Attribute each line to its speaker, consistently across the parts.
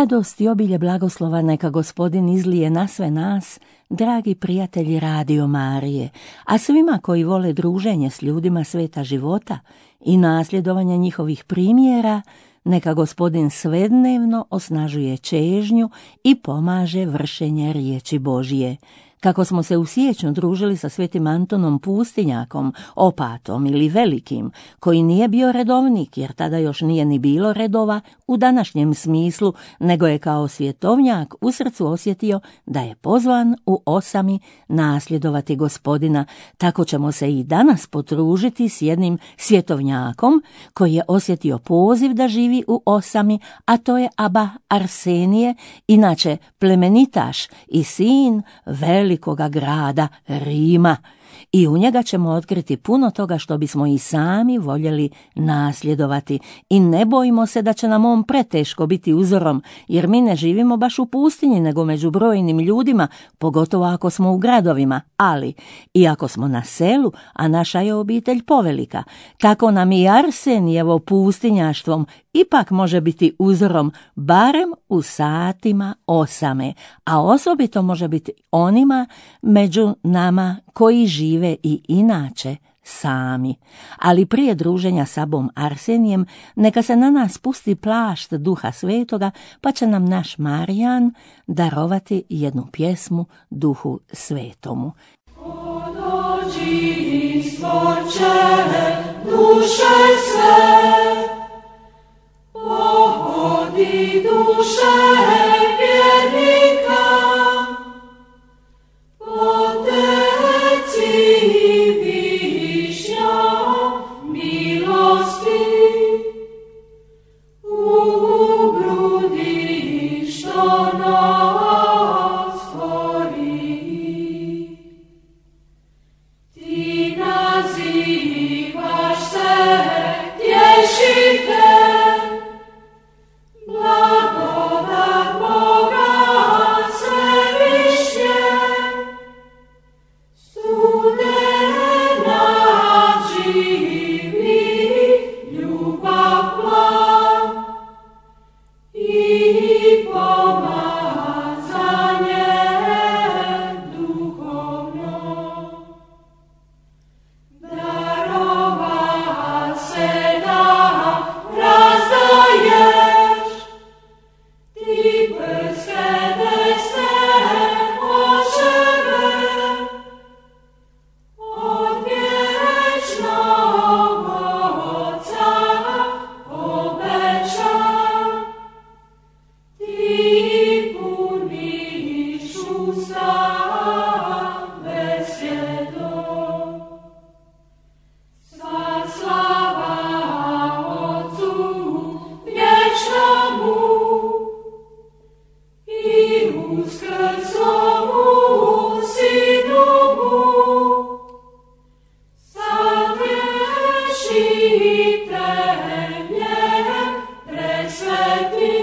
Speaker 1: Radost i obilje blagoslova neka Gospodin izlije na sve nas, dragi prijatelji Radio Marije, a svima koji vole druženje s ljudima sveta života i nasljedovanje njihovih primjera, neka Gospodin svednevno osnažuje čežnju i pomaže vršenje riječi Božije. Kako smo se u siječnju družili sa svetim Antonom Pustinjakom, opatom ili velikim, koji nije bio redovnik, jer tada još nije ni bilo redova u današnjem smislu, nego je kao svjetovnjak u srcu osjetio da je pozvan u osami nasljedovati Gospodina. Tako ćemo se i danas potružiti s jednim svjetovnjakom koji je osjetio poziv da živi u osami, a to je aba Arsenije, inače plemenitaš i sin velikoga grada Rima. I u njega ćemo otkriti puno toga što bismo i sami voljeli nasljedovati. I ne bojimo se da će nam on preteško biti uzorom, jer mi ne živimo baš u pustinji, nego među brojnim ljudima, pogotovo ako smo u gradovima. Ali, i ako smo na selu, a naša je obitelj povelika, tako nam i Arsenijevo pustinjaštvom ipak može biti uzorom, barem u satima osame, a osobito može biti onima među nama koji žive i inače sami. Ali prije druženja s abom Arsenijem neka se na nas pusti plašt Duha Svetoga, pa će nam naš Marijan darovati jednu pjesmu Duhu Svetomu.
Speaker 2: O dođi stvorče duše sve, pohodi duše vjernika, poteci višnja milosti u grudi što nas stvori. Ti nazivaš se tješitelj, blagodat Boga svevišnje, studena živi ljubav plan i pomazanje duhovno. Darova se da razdaješ, ti prske desne očeve, od vječnog Oca obećan, ti puniš usta besjedom. Sva slava Otcu vječnomu i uskrslomu Sinu mu, Satješitelje presveti,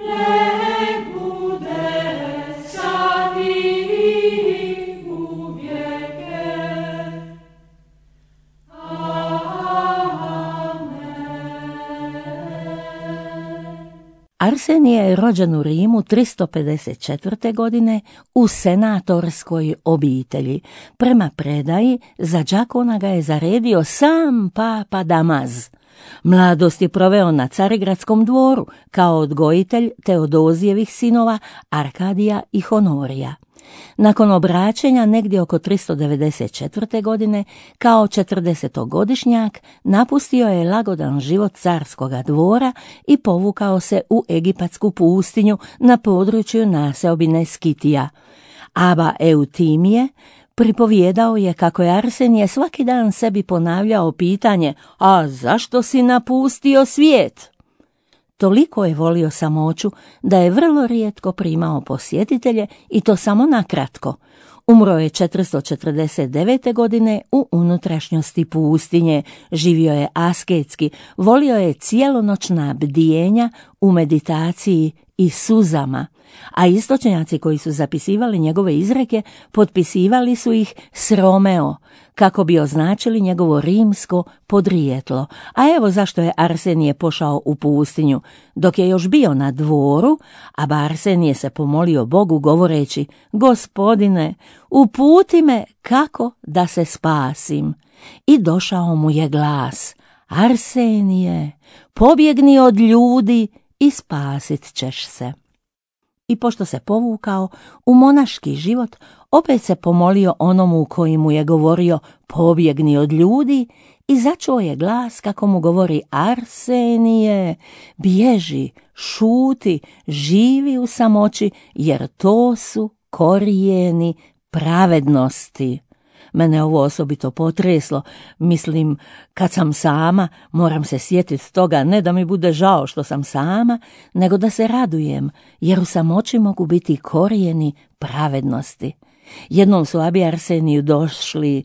Speaker 2: nek bude sad i uvijeke.
Speaker 1: Arsenije je rođen u Rimu 354. godine u senatorskoj obitelji. Prema predaji, za đakona ga je zaredio sam papa Damaz. Mladost je proveo na Carigradskom dvoru kao odgojitelj Teodozijevih sinova Arkadija i Honorija. Nakon obraćenja negdje oko 394. godine, kao 40-godišnjak, napustio je lagodan život carskoga dvora i povukao se u egipatsku pustinju na području naseobine Skitija. Aba Eutimije pripovijedao je kako je Arsenije svaki dan sebi ponavljao pitanje: a zašto si napustio svijet? Toliko je volio samoću da je vrlo rijetko primao posjetitelje i to samo nakratko. Umro je 449. godine u unutrašnjosti pustinje, živio je asketski, volio je cijelonoćna bdijenja u meditaciji i suzama, a istočnjaci koji su zapisivali njegove izreke potpisivali su ih s Romeo, kako bi označili njegovo rimsko podrijetlo. A evo zašto je Arsenije pošao u pustinju. Dok je još bio na dvoru, Aba Arsenije se pomolio Bogu govoreći: Gospodine, uputi me kako da se spasim. I došao mu je glas: Arsenije, pobjegni od ljudi i spasit ćeš se. I pošto se povukao u monaški život, opet se pomolio onomu koji mu je govorio: pobjegni od ljudi, i začuo je glas kako mu govori: Arsenije, bježi, šuti, živi u samoći, jer to su korijeni pravednosti. Mene ovo osobito potreslo. Mislim, kad sam sama, moram se sjetiti toga, ne da mi bude žao što sam sama, nego da se radujem, jer u samoći mogu biti korijeni pravednosti. Jednom su Abi Arseniju došli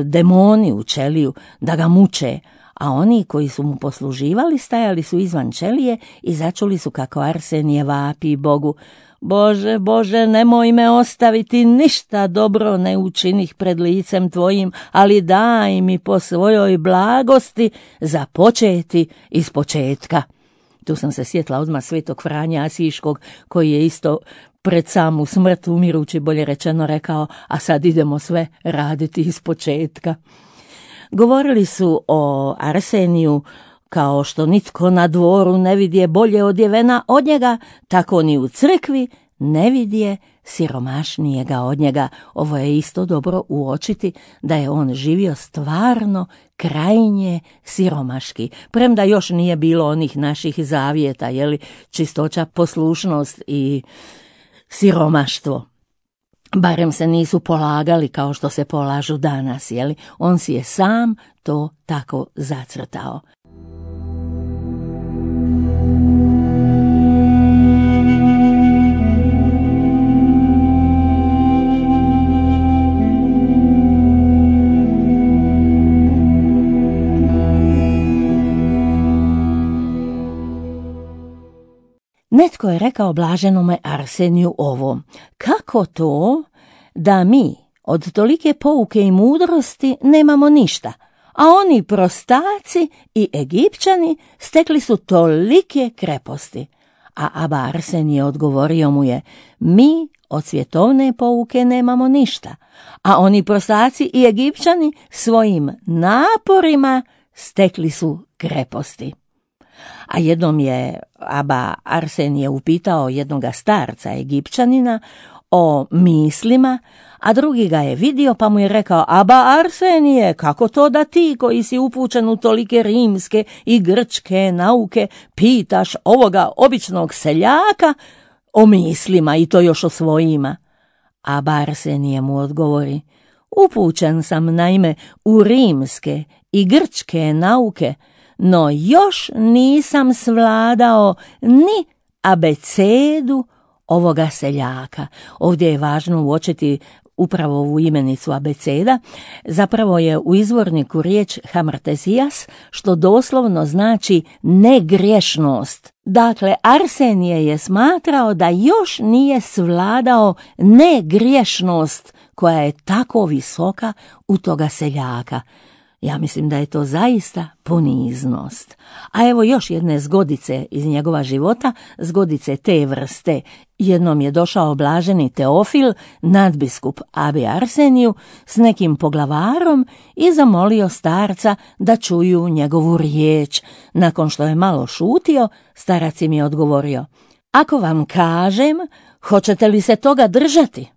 Speaker 1: demoni u ćeliju da ga muče, a oni koji su mu posluživali stajali su izvan ćelije i začuli su kako Arsenije vapi Bogu: Bože, Bože, nemoj me ostaviti, ništa dobro ne učinih pred licem tvojim, ali daj mi po svojoj blagosti započeti iz početka. Tu sam se sjetila odmah svetog Franje Asiškog, koji je isto pred samu smrt umirući, bolje rečeno, rekao: a sad idemo sve raditi iz početka. Govorili su o Arseniju kao što nitko na dvoru ne vidje bolje odjevena od njega, tako ni u crkvi ne vidje siromašnijega od njega. Ovo je isto dobro uočiti, da je on živio stvarno krajnje siromaški, premda još nije bilo onih naših zavjeta, čistoća, poslušnost i siromaštvo. Barem se nisu polagali kao što se polažu danas, on si je sam to tako zacrtao. Netko je rekao blaženome Arseniju ovo: kako to da mi od tolike pouke i mudrosti nemamo ništa, a oni prostaci i Egipćani stekli su tolike kreposti? A Aba Arsenije odgovorio mu je: mi od svjetovne pouke nemamo ništa, a oni prostaci i Egipćani svojim naporima stekli su kreposti. A jednom je Aba Arsenije upitao jednoga starca Egipćanina o mislima, a drugi ga je vidio pa mu je rekao: Aba Arsenije, kako to da ti koji si upućen u tolike rimske i grčke nauke pitaš ovoga običnog seljaka o mislima, i to još o svojima? Aba Arsenije mu odgovori: upućen sam naime u rimske i grčke nauke, no još nisam svladao ni abecedu ovoga seljaka. Ovdje je važno uočiti upravo ovu imenicu abeceda. Zapravo je u izvorniku riječ hamartezijas, što doslovno znači negriješnost. Dakle, Arsenije je smatrao da još nije svladao negriješnost koja je tako visoka u toga seljaka. Ja mislim da je to zaista poniznost. A evo još jedne zgodice iz njegova života, zgodice te vrste. Jednom je došao blaženi Teofil, nadbiskup Abi Arseniju, s nekim poglavarom i zamolio starca da čuju njegovu riječ. Nakon što je malo šutio, starac im je odgovorio: ako vam kažem, hoćete li se toga držati?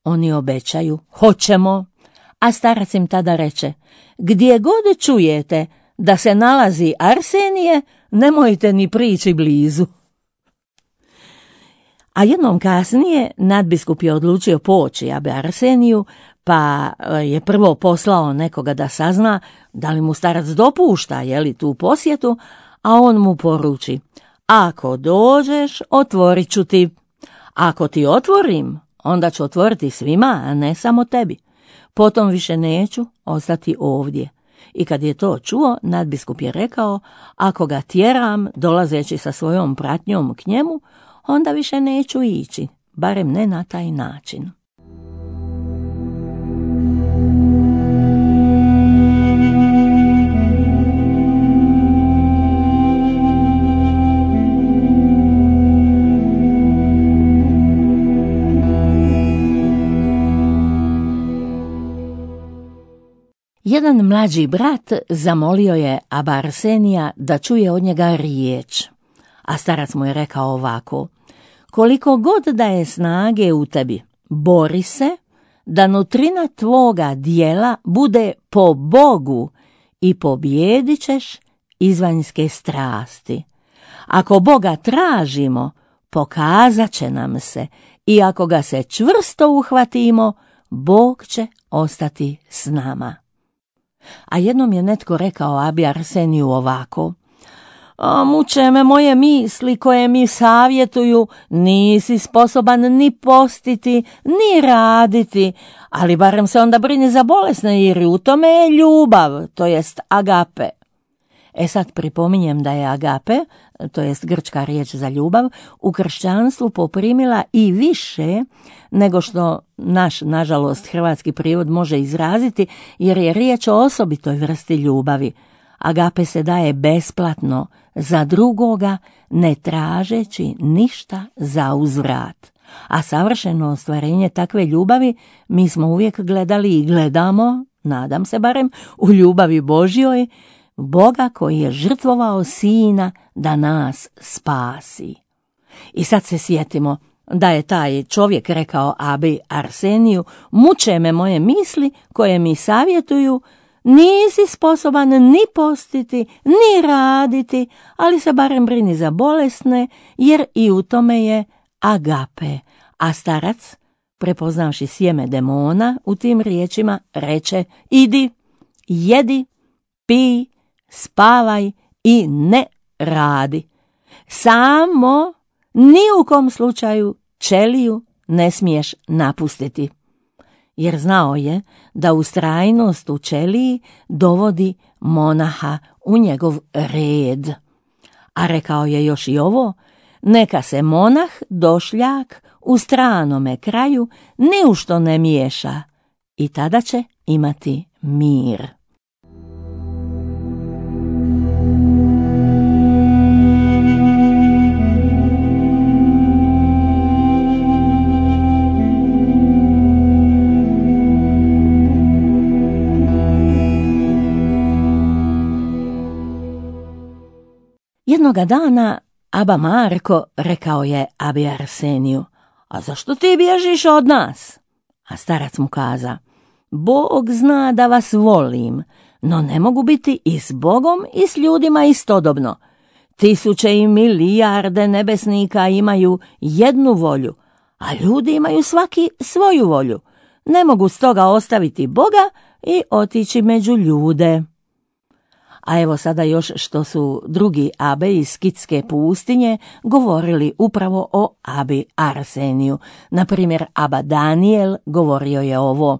Speaker 1: Oni obećaju: hoćemo. A starac im tada reče: gdje god čujete da se nalazi Arsenije, nemojte ni prići blizu. A jednom kasnije nadbiskup je odlučio poći Abi Arseniju, pa je prvo poslao nekoga da sazna da li mu starac dopušta tu posjetu, a on mu poruči: ako dođeš, otvorit ću ti. Ako ti otvorim, onda ću otvoriti svima, a ne samo tebi. Potom više neću ostati ovdje. I kad je to čuo, nadbiskup je rekao: ako ga tjeram, dolazeći sa svojom pratnjom k njemu, onda više neću ići, barem ne na taj način. Jedan mlađi brat zamolio je aba Arsenija da čuje od njega riječ, a starac mu je rekao ovako: koliko god da je snage u tebi, bori se da nutrina tvoga dijela bude po Bogu i pobijedit ćeš izvanjske strasti. Ako Boga tražimo, pokazat će nam se, i ako ga se čvrsto uhvatimo, Bog će ostati s nama. A jednom je netko rekao abi Arseniju ovako: muče me moje misli koje mi savjetuju, nisi sposoban ni postiti, ni raditi, ali barem se onda brini za bolesne, jer u tome je ljubav, to jest agape. Sad pripominjem da je agape, to jest grčka riječ za ljubav, u kršćanstvu poprimila i više nego što naš, nažalost, hrvatski prijevod može izraziti, jer je riječ o osobitoj vrsti ljubavi. Agape se daje besplatno za drugoga, ne tražeći ništa za uzvrat. A savršeno ostvarenje takve ljubavi mi smo uvijek gledali i gledamo, nadam se barem, u ljubavi Božjoj, Boga koji je žrtvovao sina da nas spasi. I sad se sjetimo da je taj čovjek rekao abi Arseniju: muče me moje misli koje mi savjetuju, nisi sposoban ni postiti, ni raditi, ali se barem brini za bolesne, jer i u tome je agape. A starac, prepoznavši sjeme demona u tim riječima, reče: idi, jedi, pij, spavaj i ne radi. Samo ni u kom slučaju ćeliju ne smiješ napustiti. Jer znao je da ustrajnost u ćeliji dovodi monaha u njegov red. A rekao je još i ovo: neka se monah došljak u stranome kraju ni u što ne miješa, i tada će imati mir. Jednoga dana aba Marko rekao je abi Arseniju: a zašto ti bježiš od nas? A starac mu kaza: Bog zna da vas volim, no ne mogu biti i s Bogom i s ljudima istodobno. 1000 i milijarde nebesnika imaju jednu volju, a ljudi imaju svaki svoju volju. Ne mogu stoga ostaviti Boga i otići među ljude. A evo sada još što su drugi abe iz Skitske pustinje govorili upravo o abi Arseniju. Na primjer, aba Daniel govorio je ovo: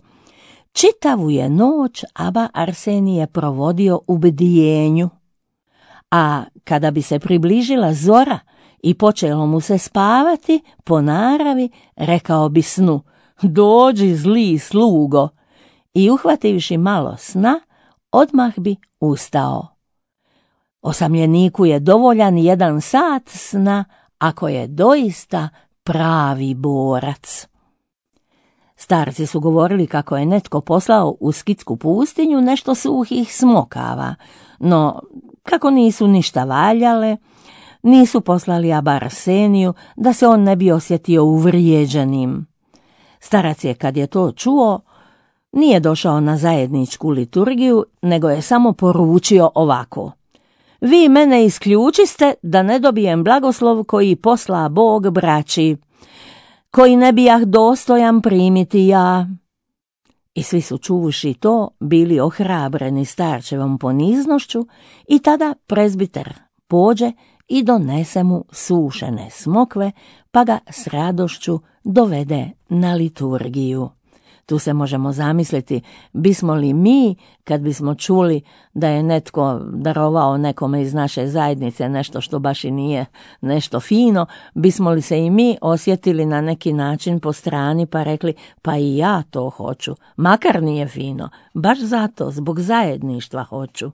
Speaker 1: čitavu je noć aba Arsenije provodio u bdijenju, a kada bi se približila zora i počelo mu se spavati, po naravi rekao bi snu: dođi zli slugo, i uhvativši malo sna, odmah bi ustao. Osamljeniku je dovoljan 1 sat sna ako je doista pravi borac. Starci su govorili kako je netko poslao u Skitsku pustinju nešto suhih smokava, no kako nisu ništa valjale, nisu poslali aba Arseniju da se on ne bi osjetio uvrijeđenim. Starac je, kad je to čuo, nije došao na zajedničku liturgiju, nego je samo poručio ovako: vi mene isključiste da ne dobijem blagoslov koji posla Bog braći, koji ne bijah dostojan primiti ja. I svi su čuvuši to bili ohrabreni starčevom poniznošću, i tada prezbiter pođe i donese mu sušene smokve, pa ga s radošću dovede na liturgiju. Tu se možemo zamisliti, bismo li mi, kad bismo čuli da je netko darovao nekome iz naše zajednice nešto što baš i nije nešto fino, bismo li se i mi osjetili na neki način po strani pa rekli pa i ja to hoću, makar nije fino, baš zato, zbog zajedništva hoću.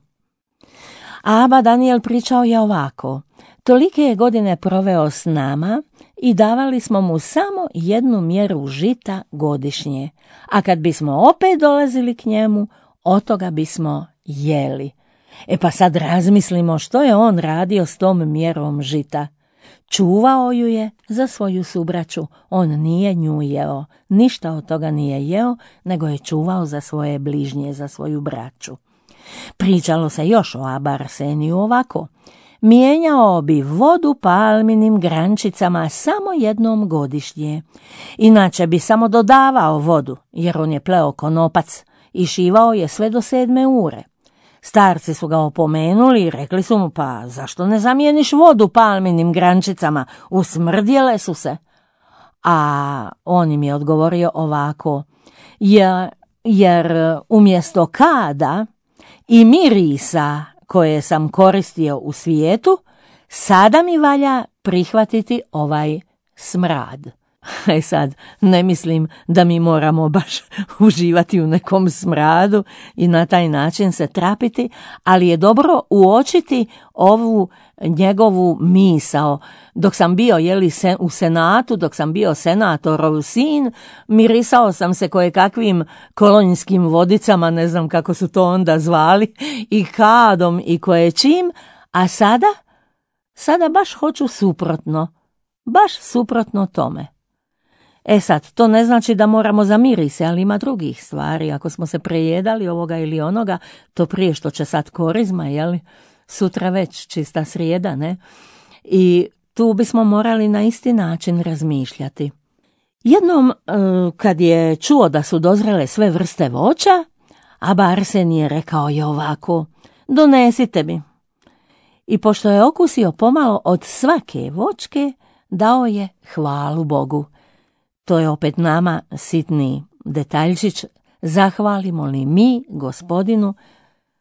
Speaker 1: A aba Daniel pričao je ovako: tolike je godine proveo s nama i davali smo mu samo 1 mjeru žita godišnje, a kad bismo opet dolazili k njemu, od toga bismo jeli. Pa sad razmislimo što je on radio s tom mjerom žita. Čuvao ju je za svoju subraću, on nije nju jeo, ništa od toga nije jeo, nego je čuvao za svoje bližnje, za svoju braću. Pričalo se još o aba Arseniju ovako: mijenjao bi vodu palminim grančicama samo 1 godišnje, inače bi samo dodavao vodu, jer on je pleo konopac i šivao je sve do 7 ure. Starci su ga opomenuli i rekli su mu: pa zašto ne zamijeniš vodu palminim grančicama, usmrdjele su se. A on im je odgovorio ovako: jer umjesto kada i mirisa koje sam koristio u svijetu, sada mi valja prihvatiti ovaj smrad. Sad, ne mislim da mi moramo baš uživati u nekom smradu i na taj način se trapiti, ali je dobro uočiti ovu njegovu misao. Dok sam bio u senatu, dok sam bio senatorov sin, mirisao sam se kojekakvim kolonjskim vodicama, ne znam kako su to onda zvali, i kadom i koječim, a sada baš hoću suprotno, baš suprotno tome. Sad, to ne znači da moramo zamiriti se, ali ima drugih stvari. Ako smo se prejedali ovoga ili onoga, to prije što će sad korizma, sutra već čista srijeda, ne? I tu bismo morali na isti način razmišljati. Jednom, kad je čuo da su dozrele sve vrste voća, aba Arsenije rekao je ovako: donesite mi. I pošto je okusio pomalo od svake voćke, dao je hvalu Bogu. To je opet nama sitni detaljčić. Zahvalimo li mi Gospodinu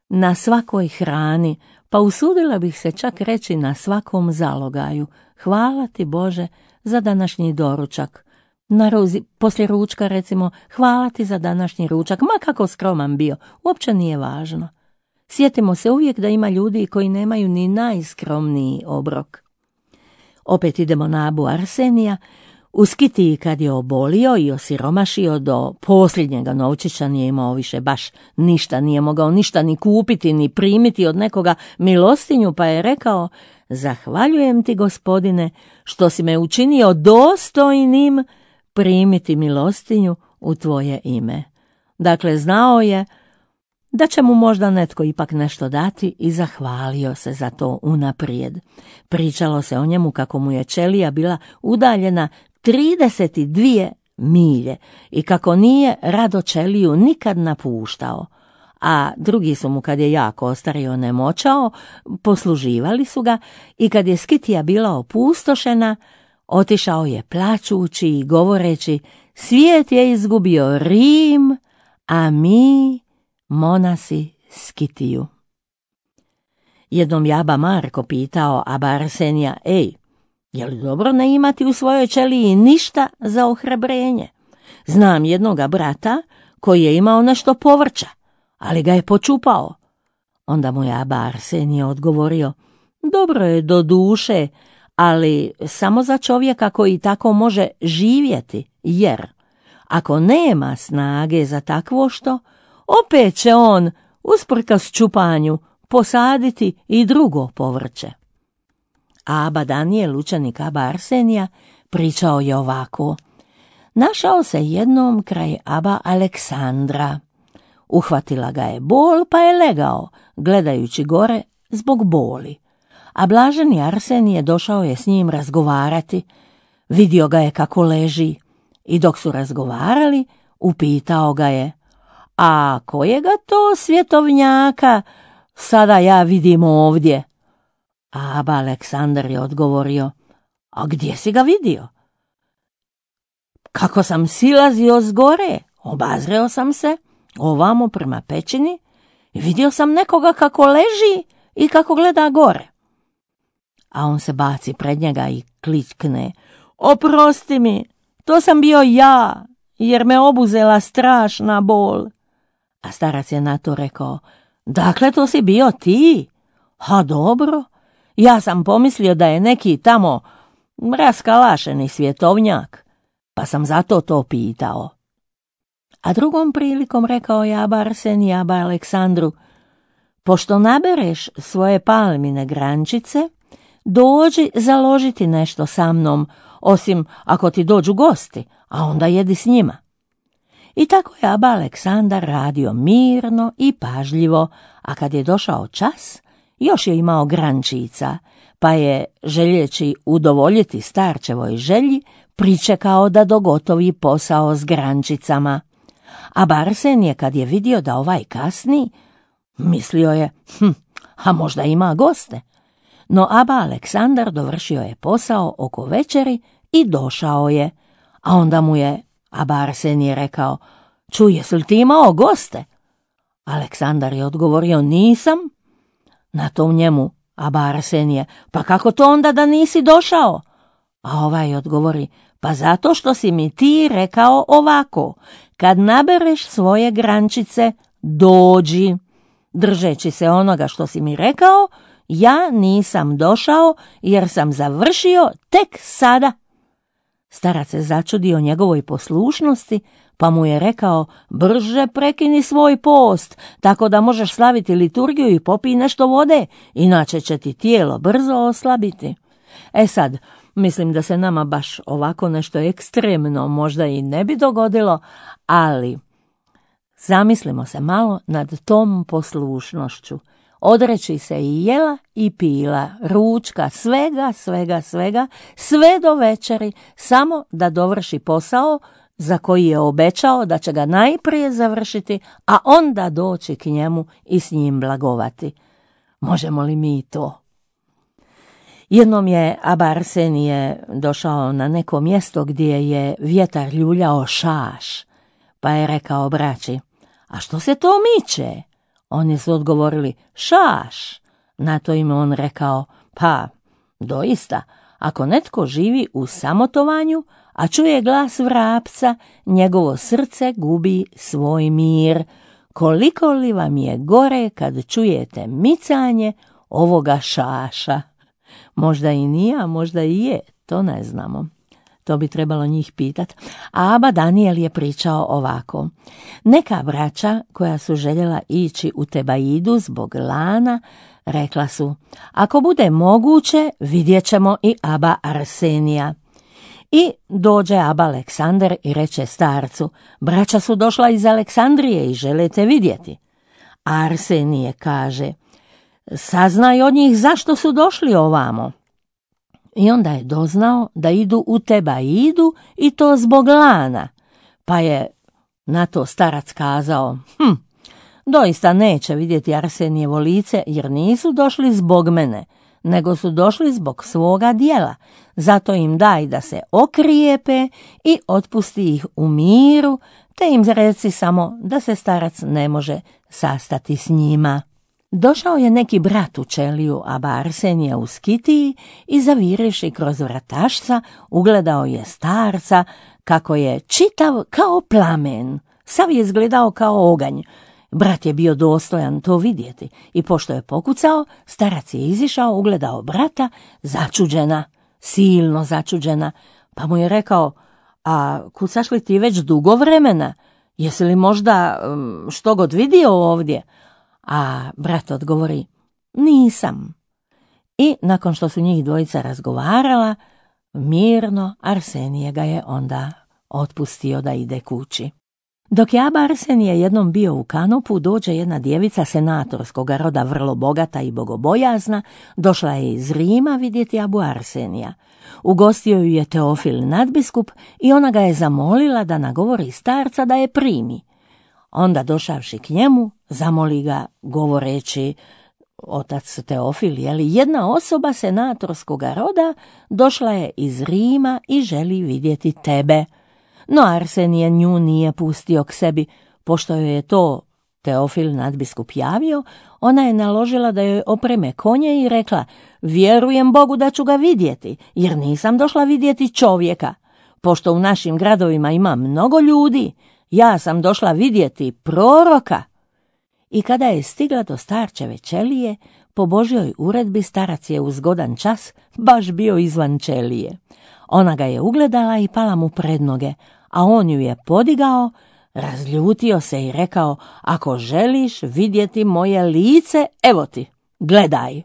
Speaker 1: na svakoj hrani, pa usudila bih se čak reći na svakom zalogaju. Hvala ti Bože za današnji doručak. Poslije ručka recimo, hvala ti za današnji ručak, ma kako skroman bio, uopće nije važno. Sjetimo se uvijek da ima ljudi koji nemaju ni najskromniji obrok. Opet idemo na abu Arsenija. U Skitiji kad je obolio i osiromašio do posljednjega novčića, nije imao više baš ništa, nije mogao ništa ni kupiti ni primiti od nekoga milostinju, pa je rekao: zahvaljujem ti Gospodine što si me učinio dostojnim primiti milostinju u tvoje ime. Dakle, znao je da će mu možda netko ipak nešto dati i zahvalio se za to unaprijed. Pričalo se o njemu kako mu je ćelija bila udaljena 32 milje i kako nije rado ćeliju nikad napuštao, a drugi su mu, kad je jako ostario, nemoćao, posluživali su ga, i kad je Skitija bila opustošena, otišao je plačući i govoreći: svijet je izgubio Rim, a mi monasi Skitiju. Jednom je aba Marko pitao aba Arsenija: je li dobro ne imati u svojoj ćeliji ništa za ohrabrenje? Znam jednoga brata koji je imao nešto povrća, ali ga je počupao. Onda mu je aba Arsenije odgovorio: dobro je do duše, ali samo za čovjeka koji tako može živjeti, jer ako nema snage za takvo što, opet će on, usprkos čupanju, posaditi i drugo povrće. A aba Daniel, učenik aba Arsenija, pričao je ovako: našao se jednom kraj aba Aleksandra. Uhvatila ga je bol, pa je legao, gledajući gore zbog boli. A blaženi Arsenije došao je s njim razgovarati. Vidio ga je kako leži i dok su razgovarali, upitao ga je: a kojega to svjetovnjaka sada ja vidim ovdje? A aba Aleksandar je odgovorio: a gdje si ga vidio? Kako sam silazio s gore, Obazreo sam se ovamo prema pećini i vidio sam nekoga kako leži i kako gleda gore. A on se baci pred njega i klikne: oprosti mi, to sam bio ja, jer me obuzela strašna bol. A starac je na to rekao: dakle, to si bio ti? A dobro, ja sam pomislio da je neki tamo raskalašeni svjetovnjak, pa sam zato to pitao. A drugom prilikom rekao je aba Arsenije aba Aleksandru: pošto nabereš svoje palmine grančice, dođi založiti nešto sa mnom, osim ako ti dođu gosti, a onda jedi s njima. I tako je aba Aleksandar radio mirno i pažljivo, a kad je došao čas, još je imao grančica, pa je, željeći udovoljiti starčevoj želji, pričekao da dogotovi posao s grančicama. A Arsenije, kad je vidio da ovaj kasni, mislio je: a možda ima goste. No aba Aleksandar dovršio je posao oko večeri i došao je. A onda mu je aba Arsenije rekao: čuj, jesi li ti imao goste? Aleksandar je odgovorio: nisam. Na to njemu aba Arsenije: pa kako to onda da nisi došao? A ovaj odgovori: pa zato što si mi ti rekao ovako: kad nabereš svoje grančice, dođi. Držeći se onoga što si mi rekao, ja nisam došao jer sam završio tek sada. Starac se začudio njegovoj poslušnosti, pa mu je rekao: brže prekini svoj post, tako da možeš slaviti liturgiju i popij nešto vode, inače će ti tijelo brzo oslabiti. Sad, mislim da se nama baš ovako nešto ekstremno možda i ne bi dogodilo, ali zamislimo se malo nad tom poslušnošću. Odreći se i jela i pila, ručka, svega, sve do večeri, samo da dovrši posao za koji je obećao da će ga najprije završiti, a onda doći k njemu i s njim blagovati. Možemo li mi to? Jednom je aba Arsenije došao na neko mjesto gdje je vjetar ljuljao šaš, pa je rekao braći: a što se to miče? Oni su odgovorili: šaš. Na to im on rekao: pa, doista, ako netko živi u samotovanju, a čuje glas vrapca, njegovo srce gubi svoj mir. Koliko li vam je gore kad čujete micanje ovoga šaša? Možda i nije, a možda i je, to ne znamo. To bi trebalo njih pitat. A aba Danijel je pričao ovako: neka braća koja su željela ići u Tebaidu zbog lana, rekla su: ako bude moguće, vidjet ćemo i aba Arsenija. I dođe aba Aleksandar i reče starcu: braća su došla iz Aleksandrije i žele te vidjeti. A Arsenije kaže: saznaj od njih zašto su došli ovamo. I onda je doznao da idu u Tebaidu i to zbog lana, pa je na to starac kazao: doista neće vidjeti Arsenijevo lice, jer nisu došli zbog mene, nego su došli zbog svoga djela, zato im daj da se okrijepe i otpusti ih u miru, te im reci samo da se starac ne može sastati s njima. Došao je neki brat u ćeliju aba Arsenija u skitiji i zaviriši kroz vratašca ugledao je starca kako je čitav kao plamen, sav je izgledao kao oganj. Brat je bio dostojan to vidjeti i pošto je pokucao, starac je izišao, ugledao brata, začuđena, silno začuđena, pa mu je rekao: a kucaš li ti već dugo vremena? Jesi li možda što god vidio ovdje? A brat odgovori: nisam. I nakon što su njih dvojica razgovarala, mirno Arsenije ga je onda otpustio da ide kući. Dok je aba Arsenije jednom bio u kanopu, dođe jedna djevica senatorskog roda, vrlo bogata i bogobojazna, došla je iz Rima vidjeti abu Arsenija. Ugostio ju je Teofil nadbiskup i ona ga je zamolila da nagovori starca da je primi. Onda došavši k njemu, zamoli ga govoreći: otac Teofil, jedna osoba senatorskog roda došla je iz Rima i želi vidjeti tebe. no Arsenije nju nije pustio k sebi, pošto joj je to Teofil nadbiskup javio. Ona je naložila da joj opreme konje i rekla: vjerujem Bogu da ću ga vidjeti, jer nisam došla vidjeti čovjeka. Pošto u našim gradovima ima mnogo ljudi, ja sam došla vidjeti proroka. I kada je stigla do starčeve ćelije, po Božjoj uredbi starac je u zgodan čas baš bio izvan ćelije. Ona ga je ugledala i pala mu pred noge, a on ju je podigao, razljutio se i rekao: ako želiš vidjeti moje lice, evo ti, gledaj.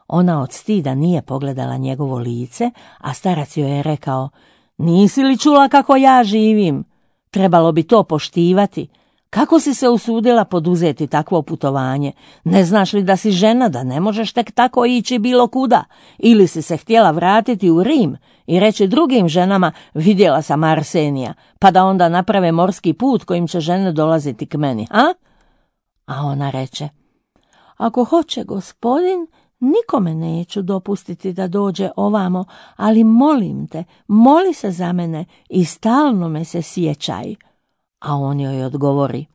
Speaker 1: Ona od stida nije pogledala njegovo lice, a starac joj je rekao: nisi li čula kako ja živim? Trebalo bi to poštivati. Kako si se usudila poduzeti takvo putovanje? Ne znaš li da si žena, da ne možeš tek tako ići bilo kuda? Ili si se htjela vratiti u Rim i reći drugim ženama: vidjela sam Arsenija, pa da onda naprave morski put kojim će žene dolaziti k meni, a? A ona reče: ako hoće gospodin, nikome neću dopustiti da dođe ovamo, ali molim te, moli se za mene i stalno me se sjećaj. A on joj odgovori: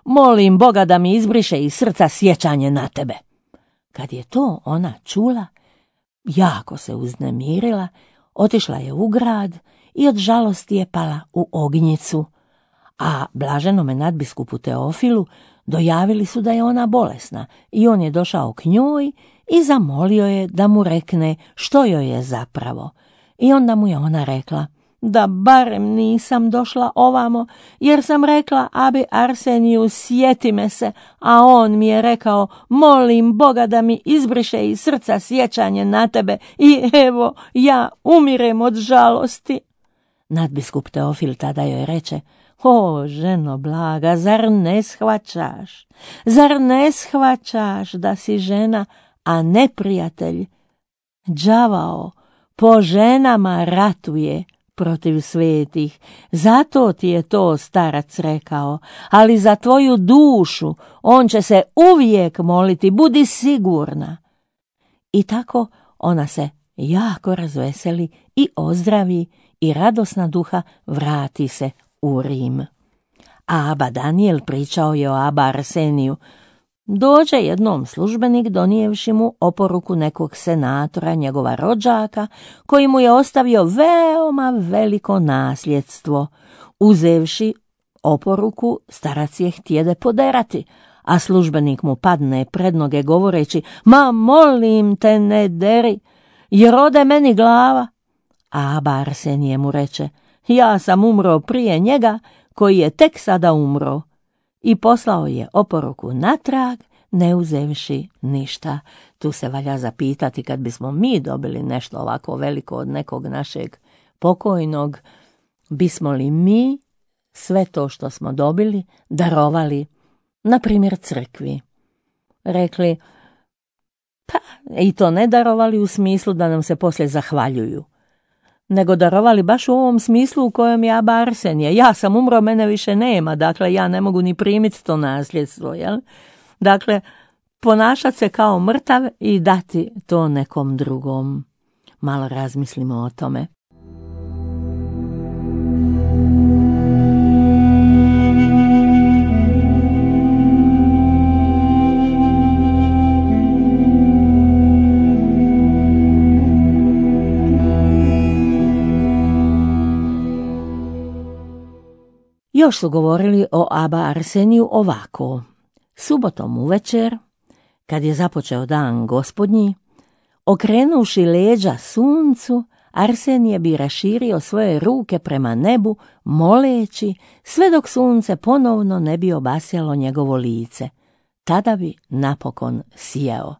Speaker 1: molim Boga da mi izbriše iz srca sjećanje na tebe. Kad je to ona čula, jako se uznemirila, otišla je u grad i od žalosti je pala u ognjicu. A blaženome nadbiskupu Teofilu dojavili su da je ona bolesna i on je došao k njoj i zamolio je da mu rekne što joj je zapravo. I onda mu je ona rekla: da barem nisam došla ovamo, jer sam rekla abi Arseniju sjeti me se, a on mi je rekao: molim Boga da mi izbriše iz srca sjećanje na tebe i evo ja umirem od žalosti. Nadbiskup Teofil tada joj reče: o, ženo blaga, zar ne shvaćaš? Zar ne shvaćaš da si žena, a neprijatelj? Đavao po ženama ratuje protiv svetih, zato ti je to starac rekao, ali za tvoju dušu on će se uvijek moliti, budi sigurna. I tako ona se jako razveseli i ozdravi i radosna duha vrati se u Rim. A aba Daniel pričao je o aba Arseniju. Dođe jednom službenik donijevši mu oporuku nekog senatora, njegova rođaka, koji mu je ostavio veoma veliko nasljedstvo. Uzevši oporuku, starac je htjede poderati, a službenik mu padne pred noge govoreći: ma molim te, ne deri, jer ode meni glava. A aba Arsenije mu reče: ja sam umro prije njega, koji je tek sada umro. I poslao je oporuku natrag, ne uzevši ništa. Tu se valja zapitati, kad bismo mi dobili nešto ovako veliko od nekog našeg pokojnog, bismo li mi sve to što smo dobili darovali, na primjer crkvi? Rekli: pa i to ne darovali u smislu da nam se poslije zahvaljuju, nego darovali baš u ovom smislu u kojem je aba Arsenije. Ja sam umro, mene više nema, dakle ja ne mogu ni primiti to nasljedstvo, jel? Dakle, ponašati se kao mrtav i dati to nekom drugom. Malo razmislimo o tome. Još su govorili o aba Arseniju ovako: subotom uvečer, kad je započeo dan gospodnji, okrenuši leđa suncu, Arsenije bi raširio svoje ruke prema nebu, moleći, sve dok sunce ponovno ne bi obasjalo njegovo lice. Tada bi napokon sijao.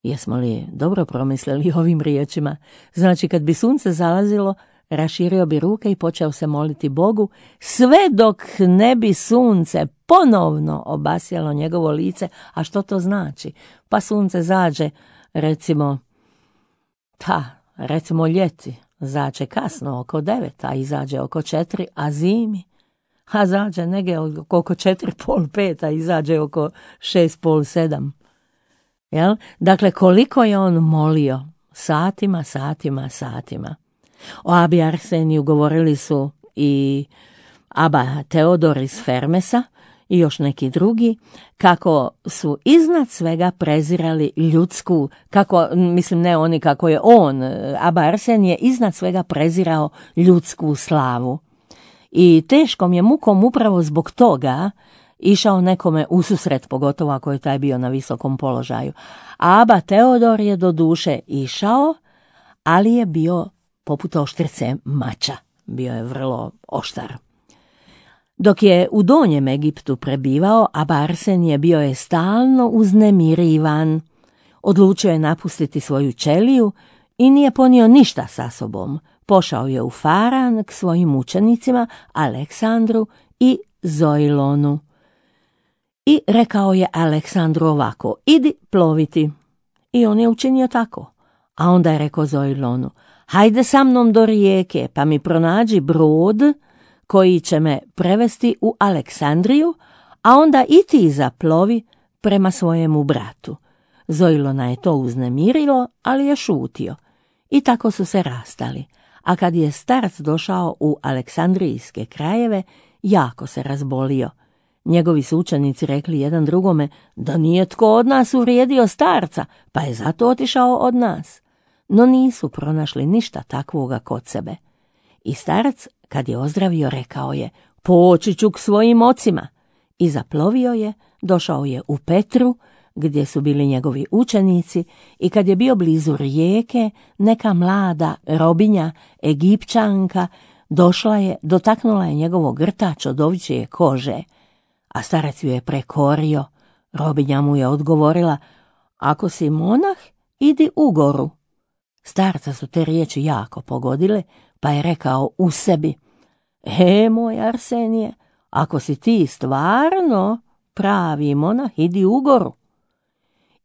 Speaker 1: Jesmo li dobro promislili ovim riječima? Znači, kad bi sunce zalazilo, raširio bi ruke i počeo se moliti Bogu, sve dok ne bi sunce ponovno obasjalo njegovo lice. A što to znači? Pa sunce zađe, recimo ljeti, zađe kasno oko 9, a izađe oko 4, a zimi, a zađe negdje oko 4:30, 5, a izađe oko 6:30, 7. Jel? Dakle, koliko je on molio? Satima. O abi Arseniju govorili su i aba Teodor iz Fermesa i još neki drugi, kako su iznad svega prezirali ljudsku, ne oni, kako je on, aba Arsenije, iznad svega prezirao ljudsku slavu. I teškom je mukom upravo zbog toga išao nekome ususret, pogotovo ako je taj bio na visokom položaju. A aba Teodor je do duše išao, ali je bio poput oštrice mača. Bio je vrlo oštar. Dok je u Donjem Egiptu prebivao, aba Arsenije bio je stalno uznemirivan. Odlučio je napustiti svoju ćeliju i nije ponio ništa sa sobom. Pošao je u Faran k svojim učenicima Aleksandru i Zoilonu. I rekao je Aleksandru ovako: idi ploviti. I on je učinio tako. A onda je rekao Zoilonu: hajde sa mnom do rijeke, pa mi pronađi brod koji će me prevesti u Aleksandriju, a onda i ti zaplovi prema svojemu bratu. Zoilona je to uznemirilo, ali je šutio. I tako su se rastali. A kad je starac došao u aleksandrijske krajeve, jako se razbolio. Njegovi su učenici rekli jedan drugome da nije tko od nas uvrijedio starca, pa je zato otišao od nas. No nisu pronašli ništa takvoga kod sebe. I starac, kad je ozdravio, rekao je: poći ću k svojim ocima. I zaplovio je, došao je u Petru, gdje su bili njegovi učenici, i kad je bio blizu rijeke, neka mlada robinja, Egipćanka, došla je, dotaknula je njegovo grtač od ovčje kože, a starac ju je prekorio. Robinja mu je odgovorila: ako si monah, idi u goru. Starca su te riječi jako pogodile, pa je rekao u sebi: moj Arsenije, ako si ti stvarno pravi monah, idi u goru.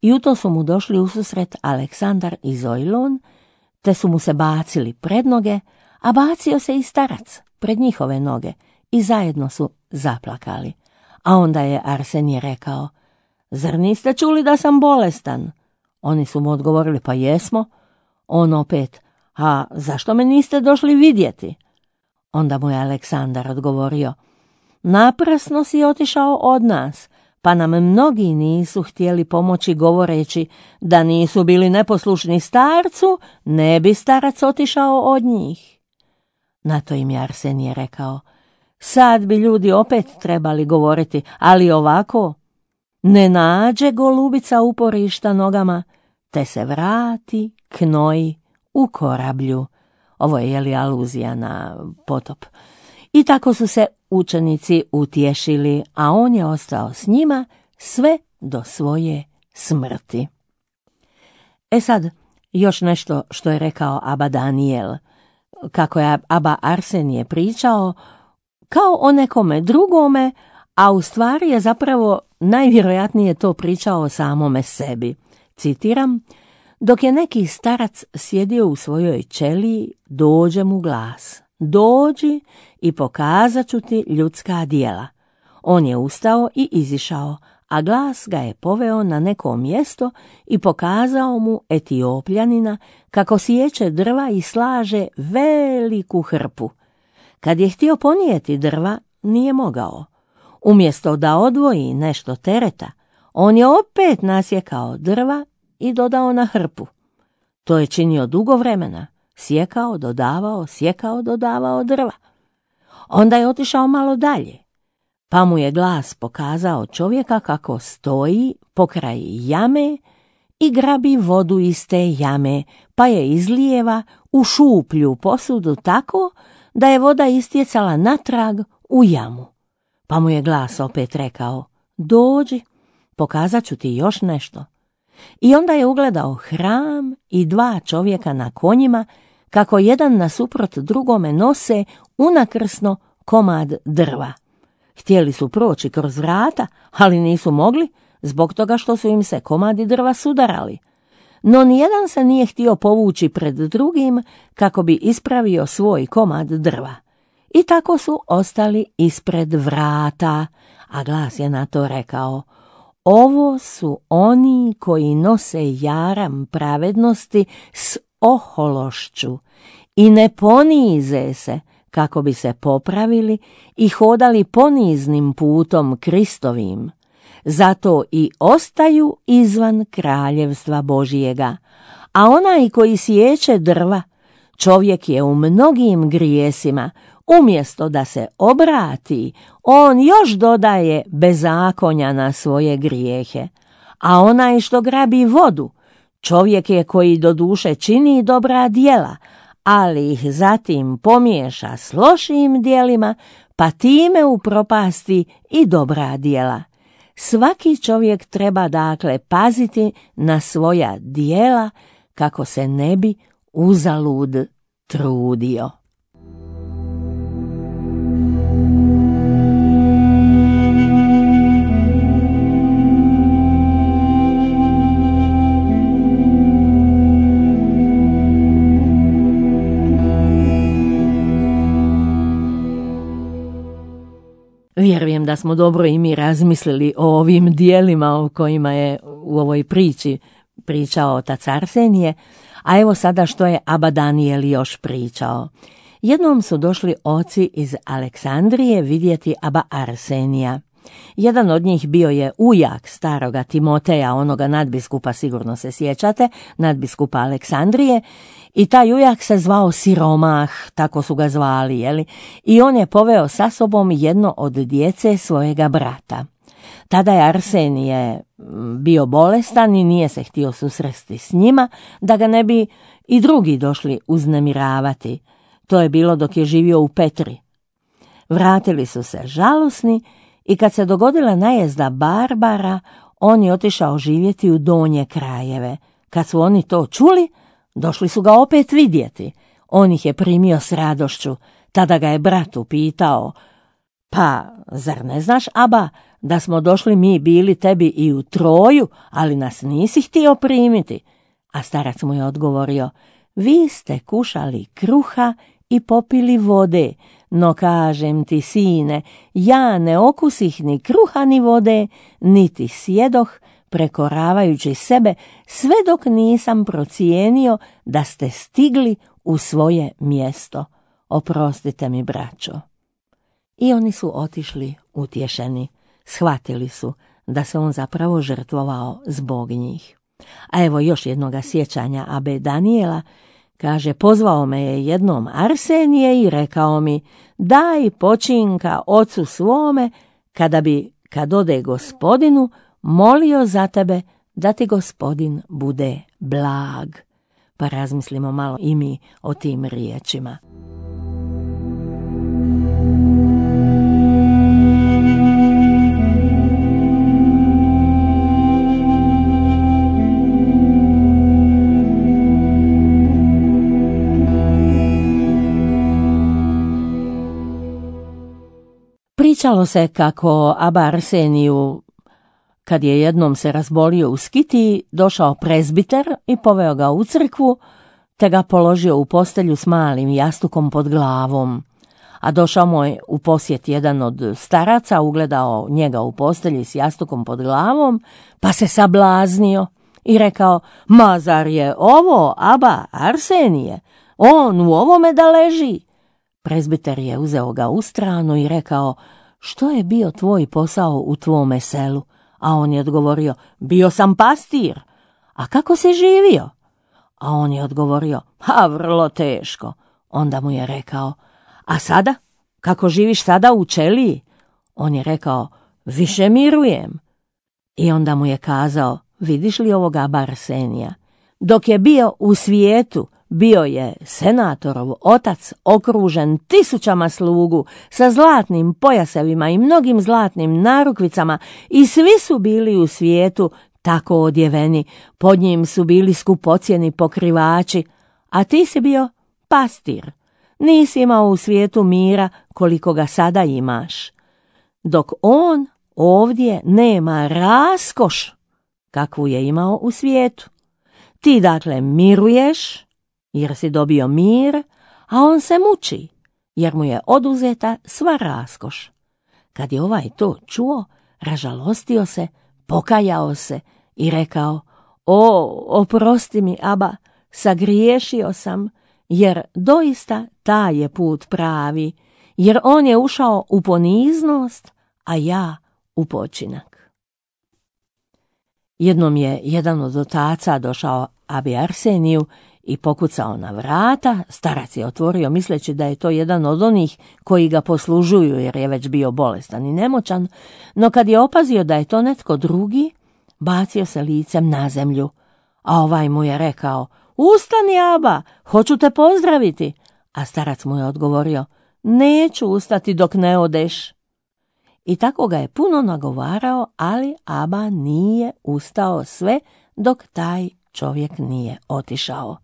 Speaker 1: I u to su mu došli ususret Aleksandar i Zoilon, te su mu se bacili pred noge, a bacio se i starac pred njihove noge i zajedno su zaplakali. A onda je Arsenije rekao: zar niste čuli da sam bolestan? Oni su mu odgovorili: pa jesmo. On opet: a zašto me niste došli vidjeti? Onda mu je Aleksandar odgovorio: naprasno si otišao od nas, pa nam mnogi nisu htjeli pomoći, govoreći da nisu bili neposlušni starcu, ne bi starac otišao od njih. Na to im je Arsenije rekao: sad bi ljudi opet trebali govoriti, ali ovako, ne nađe golubica uporišta nogama, te se vrati k Noji u korablju. Ovo je aluzija na potop. I tako su se učenici utješili, a on je ostao s njima sve do svoje smrti. Sad, još nešto što je rekao aba Danijel, kako je aba Arsenije pričao kao o nekome drugome, a u stvari je zapravo najvjerojatnije to pričao o samome sebi. Citiram: dok je neki starac sjedio u svojoj ćeliji, dođe mu glas: dođi i pokazat ću ti ljudska djela. On je ustao i izišao, a glas ga je poveo na neko mjesto i pokazao mu Etiopljanina kako siječe drva i slaže veliku hrpu. Kad je htio ponijeti drva, nije mogao. Umjesto da odvoji nešto tereta, on je opet nasjekao drva i dodao na hrpu. To je činio dugo vremena, sjekao, dodavao drva. Onda je otišao malo dalje, pa mu je glas pokazao čovjeka kako stoji pokraj jame i grabi vodu iz te jame, pa je izlijeva u šuplju posudu tako da je voda istjecala natrag u jamu. Pa mu je glas opet rekao: dođi, pokazat ću ti još nešto. I onda je ugledao hram i dva čovjeka na konjima, kako jedan nasuprot drugome nose unakrsno komad drva. Htjeli su proći kroz vrata, ali nisu mogli, zbog toga što su im se komadi drva sudarali. No nijedan se nije htio povući pred drugim kako bi ispravio svoj komad drva. I tako su ostali ispred vrata, a glas je na to rekao: ovo su oni koji nose jaram pravednosti s ohološću i ne ponize se kako bi se popravili i hodali poniznim putom Kristovim. Zato i ostaju izvan kraljevstva Božijega. A onaj koji siječe drva, čovjek je u mnogim grijesima. Umjesto da se obrati, on još dodaje bezakonja na svoje grijehe. A onaj što grabi vodu, čovjek je koji doduše čini dobra djela, ali ih zatim pomiješa s lošim djelima, pa time upropasti i dobra djela. Svaki čovjek treba dakle paziti na svoja djela kako se ne bi uzalud trudio. Vjerujem da smo dobro i mi razmislili o ovim dijelima o kojima je u ovoj priči pričao otac Arsenije, a evo sada što je aba Danijel još pričao. Jednom su došli oci iz Aleksandrije vidjeti aba Arsenija. Jedan od njih bio je ujak staroga Timoteja, onoga nadbiskupa, sigurno se sjećate, nadbiskupa Aleksandrije, i taj ujak se zvao Siromah, tako su ga zvali, jeli? I on je poveo sa sobom jedno od djece svojega brata. Tada je Arsenije bio bolestan i nije se htio susresti s njima, da ga ne bi i drugi došli uznemiravati. To je bilo dok je živio u Petri. Vratili su se žalosni i kad se dogodila najezda Barbara, on je otišao živjeti u donje krajeve. Kad su oni to čuli, došli su ga opet vidjeti. On ih je primio s radošću. Tada ga je brat upitao: pa, zar ne znaš, aba, da smo došli mi bili tebi i u Troju, ali nas nisi htio primiti? A starac mu je odgovorio: vi ste kušali kruha i popili vode, no kažem ti, sine, ja ne okusih ni kruha ni vode, niti sjedoh, prekoravajući sebe, sve dok nisam procijenio da ste stigli u svoje mjesto. Oprostite mi, braćo. I oni su otišli utješeni. Shvatili su da se on zapravo žrtvovao zbog njih. A evo još jednoga sjećanja abe Danijela. Kaže, pozvao me je jednom Arsenije i rekao mi: daj počinka ocu svome, kad ode gospodinu, molio za tebe da ti gospodin bude blag. Pa razmislimo malo i mi o tim riječima. Pričalo se kako aba Arseniju, kad je jednom se razbolio u Skitiji, došao prezbiter i poveo ga u crkvu, te ga položio u postelju s malim jastukom pod glavom. A došao mu je u posjet jedan od staraca, ugledao njega u postelji s jastukom pod glavom, pa se sablaznio i rekao: ma zar je ovo aba Arsenije? On u ovome da leži? Prezbiter je uzeo ga u stranu i rekao: što je bio tvoj posao u tvome selu? A on je odgovorio: bio sam pastir. A kako si živio? A on je odgovorio: vrlo teško. Onda mu je rekao: a sada? Kako živiš sada u ćeliji? On je rekao: više mirujem. I onda mu je kazao: vidiš li ovoga aba Arsenija? Dok je bio u svijetu, bio je senatorov otac, okružen tisućama slugu, sa zlatnim pojasevima i mnogim zlatnim narukvicama, i svi su bili u svijetu tako odjeveni, pod njim su bili skupocjeni pokrivači, a ti si bio pastir. Nisi imao u svijetu mira koliko ga sada imaš, dok on ovdje nema raskoš kakvu je imao u svijetu. Ti dakle miruješ jer si dobio mir, a on se muči jer mu je oduzeta sva raskoš. Kad je ovaj to čuo, ražalostio se, pokajao se i rekao: oprosti mi, aba, sagriješio sam, jer doista taj je put pravi, jer on je ušao u poniznost, a ja u počinak. Jednom je jedan od otaca došao abi Arseniju i pokucao na vrata. Starac je otvorio misleći da je to jedan od onih koji ga poslužuju jer je već bio bolestan i nemoćan, no kad je opazio da je to netko drugi, bacio se licem na zemlju, a ovaj mu je rekao: "Ustani, aba, hoću te pozdraviti." A starac mu je odgovorio: "Neću ustati dok ne odeš." I tako ga je puno nagovarao, ali aba nije ustao sve dok taj čovjek nije otišao.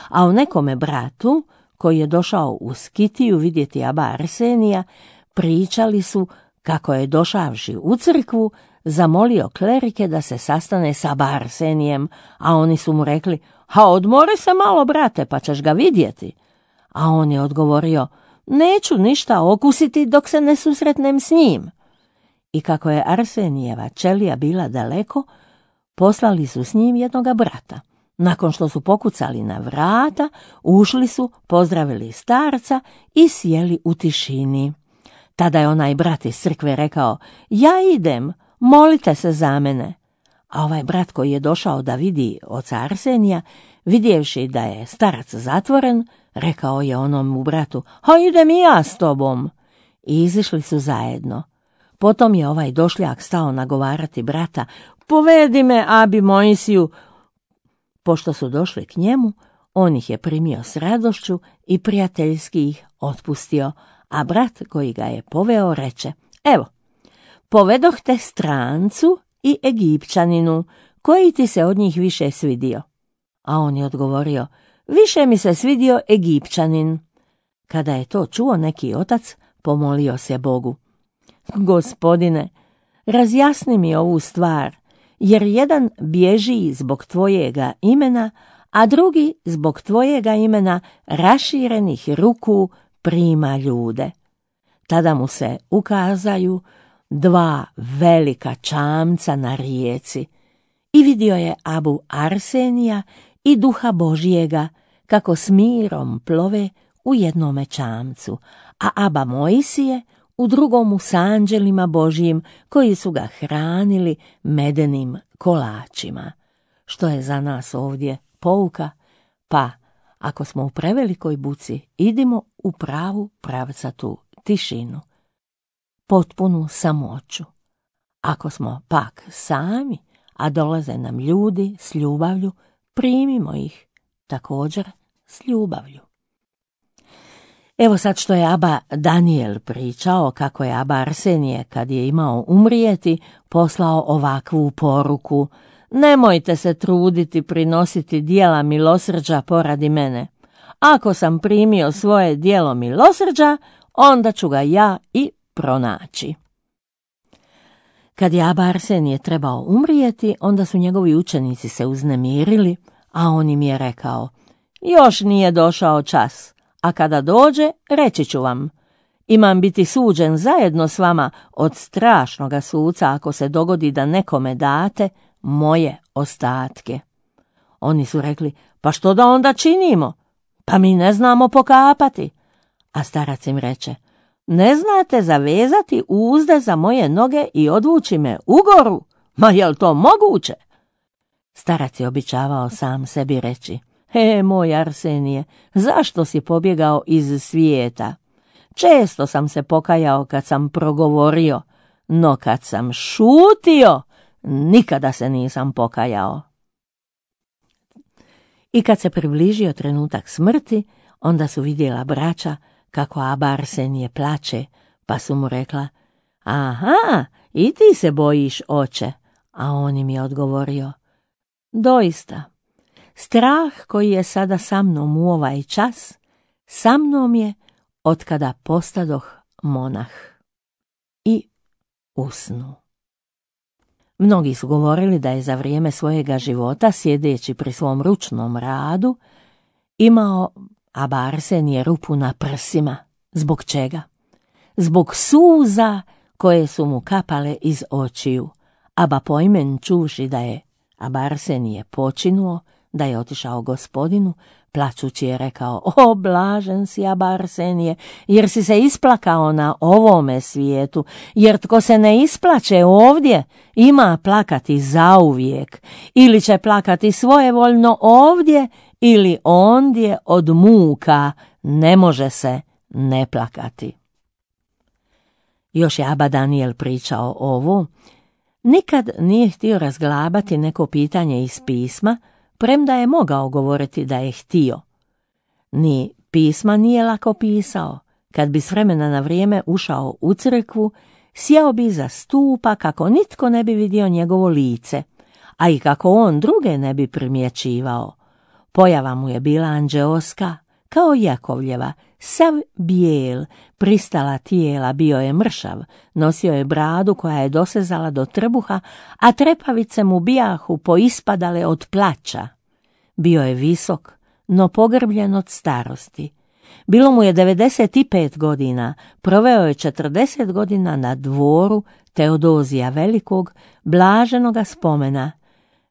Speaker 1: A o nekome bratu, koji je došao u Skitiju vidjeti aba Arsenija, pričali su kako je došavši u crkvu zamolio klerike da se sastane sa aba Arsenijem, a oni su mu rekli: "Ha, odmori se malo, brate, pa ćeš ga vidjeti." A on je odgovorio: "Neću ništa okusiti dok se ne susretnem s njim." I kako je Arsenijeva ćelija bila daleko, poslali su s njim jednoga brata. Nakon što su pokucali na vrata, ušli su, pozdravili starca i sjeli u tišini. Tada je onaj brat iz crkve rekao: "Ja idem, molite se za mene." A ovaj brat koji je došao da vidi oca Arsenija, vidjevši da je starac zatvoren, rekao je onom bratu: "Ha, idem i ja s tobom." I izišli su zajedno. Potom je ovaj došljak stao nagovarati brata: "Povedi me abi Mojsiju." Pošto su došli k njemu, on ih je primio s radošću i prijateljski ih otpustio, a brat koji ga je poveo reče: "Evo, povedoh te strancu i Egipćaninu, koji ti se od njih više svidio?" A on je odgovorio: "Više mi se svidio Egipćanin." Kada je to čuo neki otac, pomolio se Bogu: "Gospodine, razjasni mi ovu stvar, jer jedan bježi zbog tvojega imena, a drugi zbog tvojega imena raširenih ruku prima ljude." Tada mu se ukazaju dva velika čamca na rijeci i vidio je abu Arsenija i duha Božijega kako s mirom plove u jednome čamcu, a aba Mojsije u drugomu s anđelima Božijim koji su ga hranili medenim kolačima. Što je za nas ovdje pouka? Pa, ako smo u prevelikoj buci, idimo u pravu pravcatu tišinu, potpunu samoću. Ako smo pak sami, a dolaze nam ljudi s ljubavlju, primimo ih također s ljubavlju. Evo sad što je aba Daniel pričao kako je aba Arsenije, kad je imao umrijeti, poslao ovakvu poruku: "Nemojte se truditi prinositi dijela milosrđa poradi mene. Ako sam primio svoje dijelo milosrđa, onda ću ga ja i pronaći." Kad je aba Arsenije trebao umrijeti, onda su njegovi učenici se uznemirili, a on im je rekao: "Još nije došao čas, a kada dođe, reći ću vam. Imam biti suđen zajedno s vama od strašnoga suca ako se dogodi da nekome date moje ostatke." Oni su rekli: "Pa što da onda činimo? Pa mi ne znamo pokapati." A starac im reče: "Ne znate zavezati uzde za moje noge i odvući me u goru? Ma jel to moguće?" Starac je običavao sam sebi reći: "Moj Arsenije, zašto si pobjegao iz svijeta? Često sam se pokajao kad sam progovorio, no kad sam šutio, nikada se nisam pokajao." I kad se približio trenutak smrti, onda su vidjela braća kako aba Arsenije plače, pa su mu rekla: "Aha, i ti se bojiš, oče." A on im je odgovorio: "Doista, strah koji je sada sa mnom u ovaj čas, sa mnom je otkada postadoh monah." I usnu. Mnogi su govorili da je za vrijeme svojega života, sjedeći pri svom ručnom radu, imao aba Arsenije rupu na prsima. Zbog čega? Zbog suza koje su mu kapale iz očiju. Aba pojmen čuši da je aba Arsenije počinuo, da je otišao Gospodinu, Plačući je rekao: o, blažen si, aba Arsenije, jer si se isplakao na ovome svijetu, jer tko se ne isplače ovdje, ima plakati zauvijek, ili će plakati svojevoljno ovdje, ili ondje od muka ne može se ne plakati. Još je aba Daniel pričao ovo. Nikad nije htio razglabati neko pitanje iz pisma, premda je mogao govoriti da je htio. Ni pisma nije lako pisao. Kad bi s vremena na vrijeme ušao u crkvu, sjeo bi za stupa kako nitko ne bi vidio njegovo lice, a i kako on druge ne bi primjećivao. Pojava mu je bila anđeoska, kao Jakovljeva, sav bijel, pristala tijela, bio je mršav, nosio je bradu koja je dosezala do trbuha, a trepavice mu bijahu poispadale od plača. Bio je visok, no pogrbljen od starosti. Bilo mu je 95 godina, proveo je 40 godina na dvoru Teodozija Velikog, blaženoga spomena.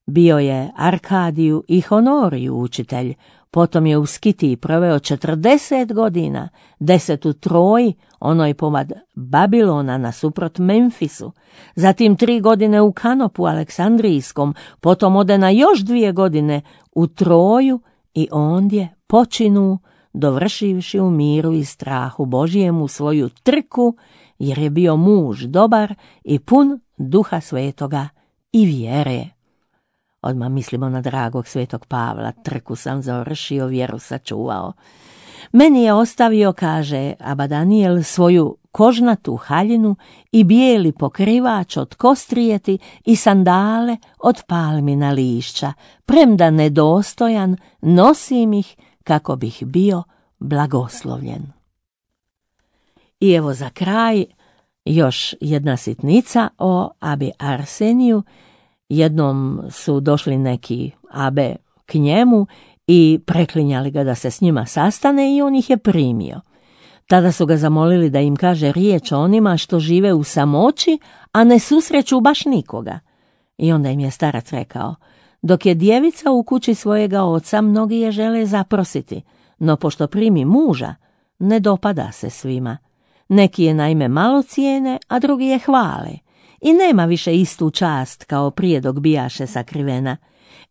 Speaker 1: Bio je Arkadiju i Honoriju učitelj, potom je u Skitiji proveo 40 godina, 10 u Troji, onoj pomad Babilona nasuprot Memfisu, zatim 3 godine u Kanopu Aleksandrijskom, potom ode na još 2 godine u Troju i ondje počinu, dovršivši u miru i strahu Božijemu svoju trku, jer je bio muž dobar i pun Duha Svetoga i vjere. Odmah mislimo na dragog svetog Pavla, trku sam završio, vjeru sačuvao. Meni je ostavio, kaže aba Daniel, svoju kožnatu haljinu i bijeli pokrivač od kostrijeti i sandale od palmina lišća, premda nedostojan, nosim ih kako bih bio blagoslovljen. I evo za kraj još jedna sitnica o abi Arseniju. Jednom su došli neki abe k njemu i preklinjali ga da se s njima sastane i on ih je primio. Tada su ga zamolili da im kaže riječ o onima što žive u samoći, a ne susreću baš nikoga. I onda im je starac rekao: dok je djevica u kući svojega oca, mnogi je žele zaprositi, no pošto primi muža, ne dopada se svima. Neki je naime malo cijene, a drugi je hvale. I nema više istu čast kao prije dok bijaše sakrivena.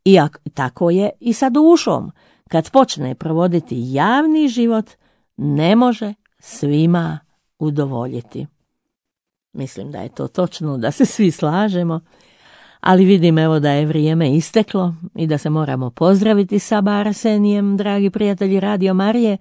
Speaker 1: I tako je i sa dušom. Kad počne provoditi javni život, ne može svima udovoljiti. Mislim da je to točno, da se svi slažemo, ali vidim evo da je vrijeme isteklo i da se moramo pozdraviti sa aba Arsenijem, dragi prijatelji Radio Marije,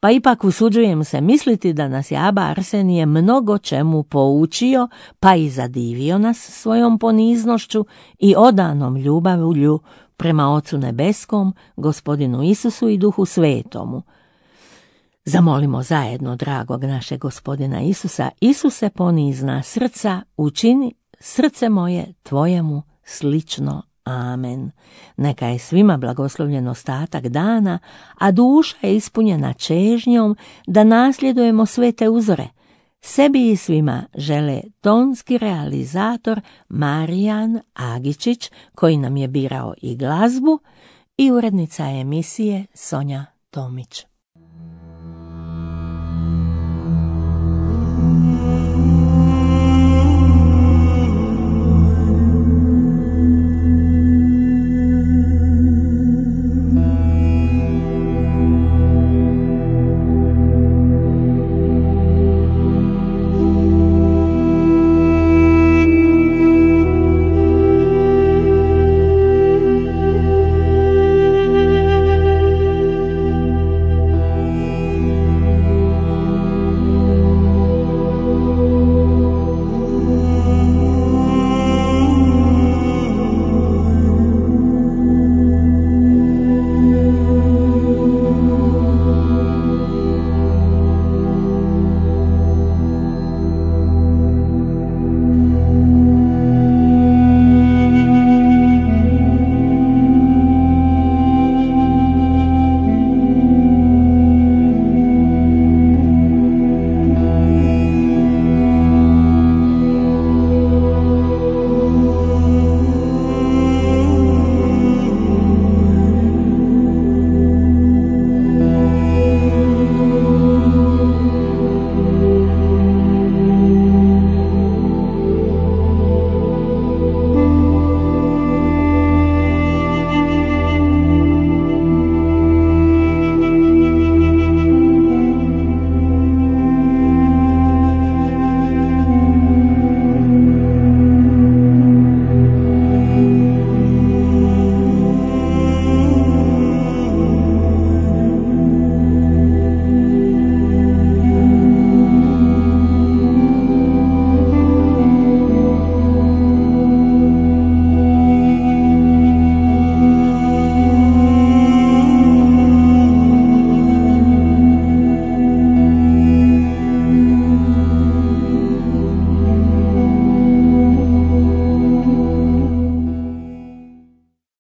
Speaker 1: pa ipak usuđujem se misliti da nas je aba Arsenije mnogo čemu poučio, pa i zadivio nas svojom poniznošću i odanom ljubavlju prema Ocu Nebeskom, Gospodinu Isusu i Duhu Svetomu. Zamolimo zajedno dragog našeg Gospodina Isusa: Isuse ponizna srca, učini srce moje tvojemu slično. Amen. Neka je svima blagoslovljen ostatak dana, a duša je ispunjena čežnjom da nasljedujemo svete uzore. Sebi i svima žele tonski realizator Marijan Agičić, koji nam je birao i glazbu, i urednica emisije Sonja Tomić.